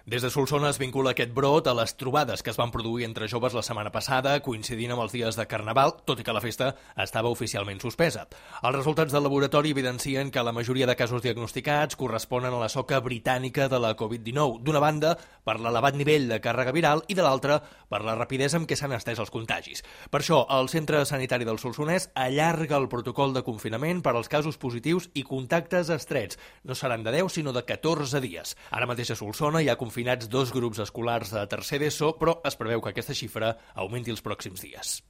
Des de Solsona es vincula aquest brot a les trobades que es van produir entre joves la setmana passada, coincidint amb els dies de Carnaval, tot i que la festa estava oficialment suspesa. Els resultats del laboratori evidencien que la majoria de casos diagnosticats corresponen a la soca britànica de la Covid-19, d'una banda per l'elevat nivell de càrrega viral i de l'altra per la rapidesa amb què s'han estès els contagis. Per això, el Centre Sanitari del Solsonès allarga el protocol de confinament per als casos positius i contactes estrets. No seran de 10, sinó de 14 dies. Ara mateix a Solsona hi ha confinats 2 grups escolars de tercer d'ESO, però es preveu que aquesta xifra augmenti els pròxims dies.